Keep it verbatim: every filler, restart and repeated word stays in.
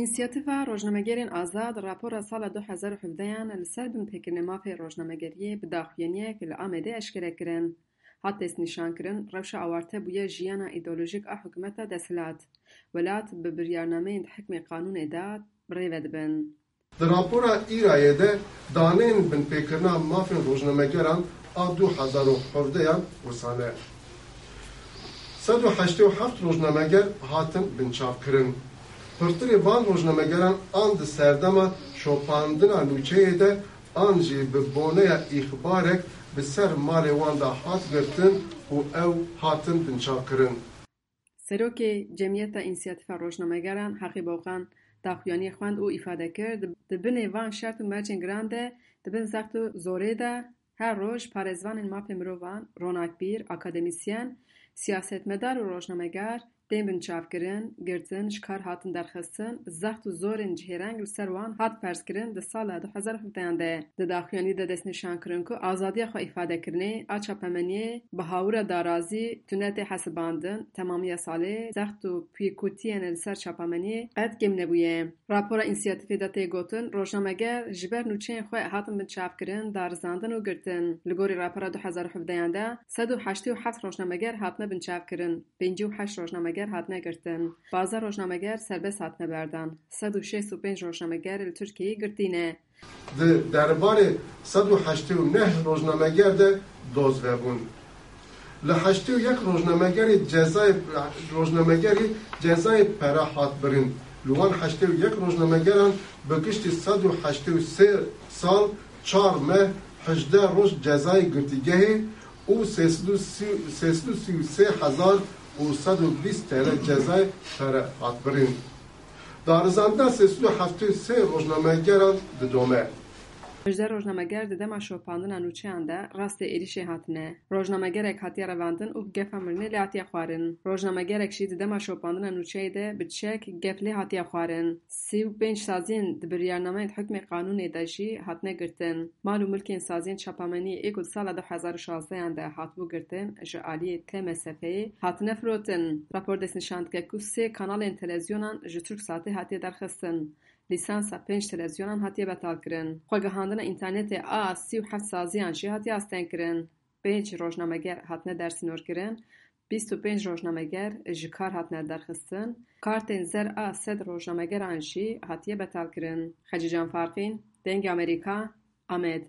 Însiyatîfa Rojnamegerên Azad rapora sala du hezar û hevdeyan li ser binpêkirinê mafê rojnamegeriyê bi daxuyaniyek li Amedê eşkere kirin. Hat destnîşankirin, rewşa awarte bûye jiyana îdeolojîk a hikûmeta desthilat. Welat bi biryarnameyên di hikmê qanûnê de bi rê ve dibin. Di rapora Îrayê de daneyên binpêkirina mafên rojnamegeran a du hezar û hevdeyan wisa ne. Sed û heştê û heft rojnameger hatin binçavkirin. Pirtirê van rojnamegeran an di serdema şopandina nûçeyê de an jî bi boneya îxbarek bi ser malê wan de hat girtin û ew hatin binçavkirin. Serokê Cemiyeta Însiyatîfa Rojnamegeran Heqî Boqan daxuyaniyê xwend û îfade kir, di, di binê van şert û mercên giran de, di bin zext û zorê de her roj parêzvanên mafê mirovan, ronakbîr, akademîsyen, siyasetmedar û rojnameger tên binçavkirin, girtin, ji kar hatin derxistin, zext û zorên cihêreng li ser wan hat ferzkirin di sala du hezar û hevdeyan de. Di daxuyanî de destnîşan kirin ku azadiya xwe îfadekirinê a çapemeniyê bi hawira darazî tune tê hesibandin, temamiya salê zext û pûyîkutiyên li ser çapemeniyê qet kêm nebûye. Rapora însiyatîfê de tê gotin, rojnameger ji ber nûçeyên xwe hatin binçavkirin, darizandin û girtin. Li gorî rapora du hezar û hevdeyan de sed û heştê û heft rojnameger hatine binçavkirin, pêncî û heşt rojnameger hatine girtin, pazdeh rojnameger serbest hatine berdan, sed û şêst û pênc rojnameger li Tirkiyeyê girtî ne. Di derbarê sed û heştê û neh rojnameger de doz vebûn. Li heştê û yek rojnamegerê cezayê, rojnamegerî cezayê pere hat birîn. Li wan heştê û yek rojnamegeran bi giştî sed û heştê û sê sal, çar meh, hejdeh roj cezayê girtîgehê û sê sed û sî, sê sed û sî û sê hezar û sed û bîst T L cezayê pere hat birîn. Darizandina sê sed û heftê û sê rojnamegeran didome. Hejdeh rojnameger di dema şopandina nûçeyan de rastê êrîşê hatine. Rojnamegerek hatiye revandin û gefa mirinê lê hatiye xwarin. Rojnamegerek jî di dema şopandina nûçeyê de bi çek gef lê hatiye xwarin. Sî û pênc saziyên di biryarnameyên hukmê qanûnê de jî hatine girtin. Mal û milkên saziyên çapameniyê ê ku di sala du hezar û şazdeyan de hatibû girtin, ji aliyê T M S F'ê hatine firotin. Rapor destnîşan dike ku sê kanalên televîzyonan ji Turksatê hatiye derxistin. Lîsansa pênc televîzyonan hatiye betalkirin. Xwegihandina înternetê a sî û heft saziyan jî hatiye astengkirin. Pênc rojnameger hatine dersînorkirin, bîst û pênc rojnameger ji kar hatine derxistin, kartên zer a sed rojnamegeran jî hatiye betalkirin. Xecîcan Farqîn, Dengê Amerîka, Amed.